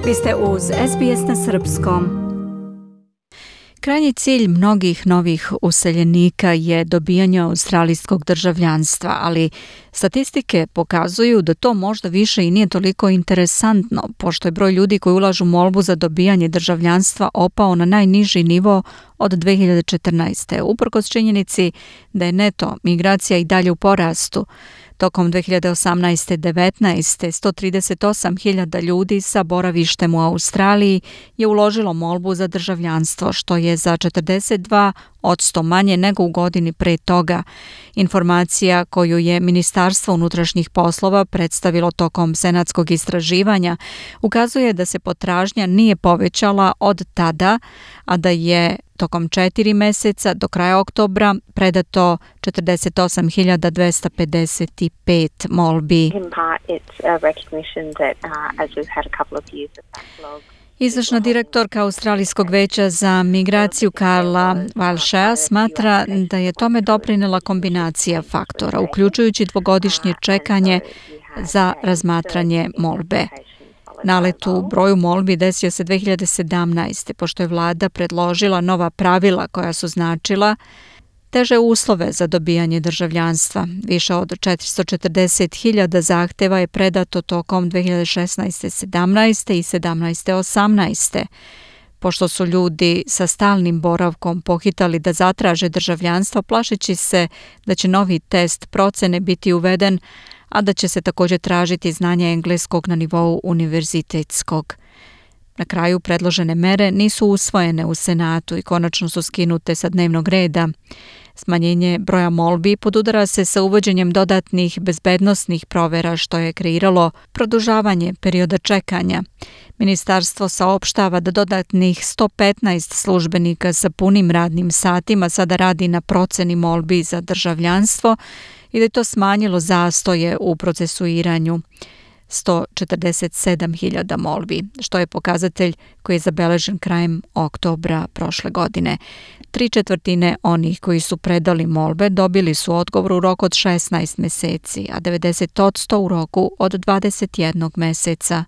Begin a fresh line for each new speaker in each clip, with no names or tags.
Vi ste uz SBS na srpskom. Krajnji cilj mnogih novih useljenika je dobijanje australijskog državljanstva, ali statistike pokazuju da to možda više i nije toliko interesantno, pošto je broj ljudi koji ulažu molbu za dobijanje državljanstva opao na najniži nivo od 2014. Uprkos činjenici da je neto migracija i dalje u porastu. Tokom 2018-19. 138.000 ljudi sa boravištem u Australiji je uložilo molbu za državljanstvo, što je za 42% manje nego u godini pre toga. Informacija koju je Ministarstvo unutrašnjih poslova predstavilo tokom senatskog istraživanja ukazuje da se potražnja nije povećala od tada, a da je tokom 4 meseca do kraja oktobra predato 48.255 molbi. Izvršna direktorka Australijskog veća za migraciju Carla Walshea smatra da je tome doprinela kombinacija faktora, uključujući dvogodišnje čekanje za razmatranje molbe. Nalet u broju molbi desio se 2017. pošto je vlada predložila nova pravila koja su značila teže uslove za dobijanje državljanstva. Više od 440.000 zahteva je predato tokom 2016-17. i 17-18. Pošto su ljudi sa stalnim boravkom pohitali da zatraže državljanstvo, plašeći se da će novi test procene biti uveden, a da će se također tražiti znanje engleskog na nivou univerzitetskog. Na kraju predložene mere nisu usvojene u Senatu i konačno su skinute sa dnevnog reda. Smanjenje broja molbi podudara se sa uvođenjem dodatnih bezbednosnih provera, što je kreiralo produžavanje perioda čekanja. Ministarstvo saopštava da dodatnih 115 službenika sa punim radnim satima sada radi na proceni molbi za državljanstvo i da je to smanjilo zastoje u procesuiranju 147.000 molbi, što je pokazatelj koji je zabeležen krajem oktobra prošle godine. 3/4 onih koji su predali molbe dobili su odgovor u roku od 16 meseci, a 90% u roku od 21 meseca.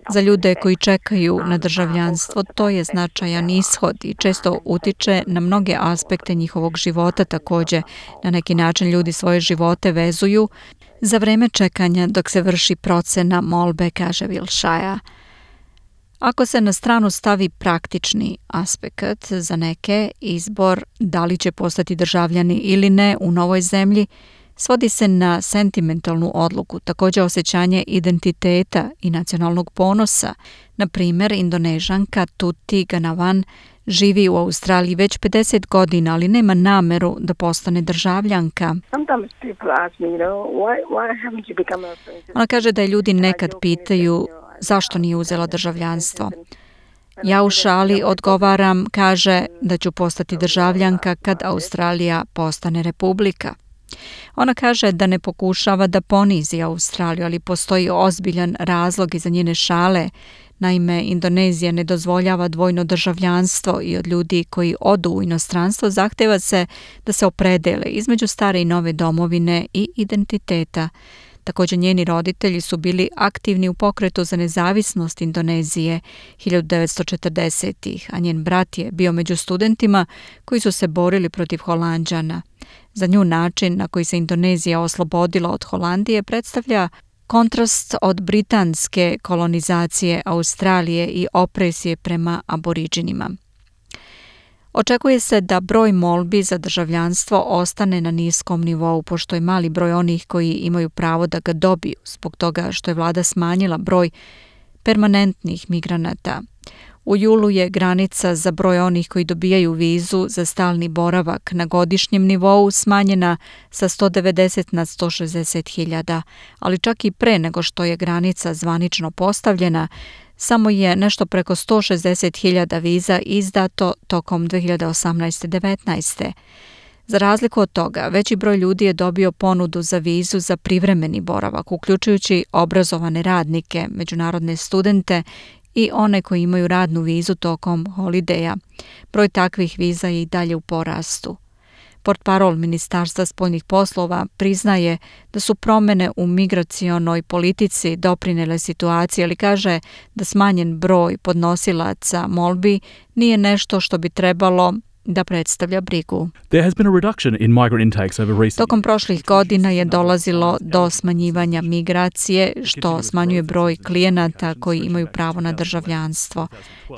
Za ljude koji čekaju na državljanstvo to je značajan ishod i često utiče na mnoge aspekte njihovog života. Također, na neki način ljudi svoje živote vezuju za vreme čekanja dok se vrši procena molbe, kaže Walshea. Ako se na stranu stavi praktični aspekt za neke, izbor da li će postati državljani ili ne u novoj zemlji svodi se na sentimentalnu odluku, također osjećanje identiteta i nacionalnog ponosa. Na primjer, Indonežanka Tuti Ganawan živi u Australiji već 50 godina, ali nema nameru da postane državljanka. Ona kaže da je ljudi nekad pitaju zašto nije uzela državljanstvo. Ja u šali odgovaram, kaže da ću postati državljanka kad Australija postane republika. Ona kaže da ne pokušava da ponizi Australiju, ali postoji ozbiljan razlog iza njene šale. Naime, Indonezija ne dozvoljava dvojno državljanstvo i od ljudi koji odu u inostranstvo zahteva se da se opredele između stare i nove domovine i identiteta. Također njeni roditelji su bili aktivni u pokretu za nezavisnost Indonezije 1940-ih, a njen brat je bio među studentima koji su se borili protiv Holanđana. Za nju način na koji se Indonezija oslobodila od Holandije predstavlja kontrast od britanske kolonizacije Australije i opresije prema aboriđinima. Očekuje se da broj molbi za državljanstvo ostane na niskom nivou, pošto je mali broj onih koji imaju pravo da ga dobiju, zbog toga što je vlada smanjila broj permanentnih migranata. U julu je granica za broj onih koji dobijaju vizu za stalni boravak na godišnjem nivou smanjena sa 190 na 160.000, ali čak i pre nego što je granica zvanično postavljena, samo je nešto preko 160.000 viza izdato tokom 2018-19. Za razliku od toga, veći broj ljudi je dobio ponudu za vizu za privremeni boravak, uključujući obrazovane radnike, međunarodne studente i one koji imaju radnu vizu tokom holideja. Broj takvih viza je i dalje u porastu. Portparol Ministarstva spoljnih poslova priznaje da su promjene u migracionoj politici doprinele situaciji, ali kaže da smanjen broj podnosilaca molbi nije nešto što bi trebalo da predstavlja brigu. Tokom prošlih godina je dolazilo do smanjivanja migracije, što smanjuje broj klijenata koji imaju pravo na državljanstvo.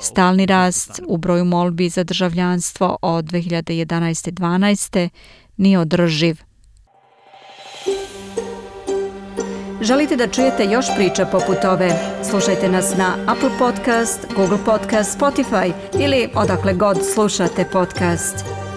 Stalni rast u broju molbi za državljanstvo od 2011-12 nije održiv. Želite da čujete još priča poput ove? Slušajte nas na Apple Podcast, Google Podcast, Spotify ili odakle god slušate podcast.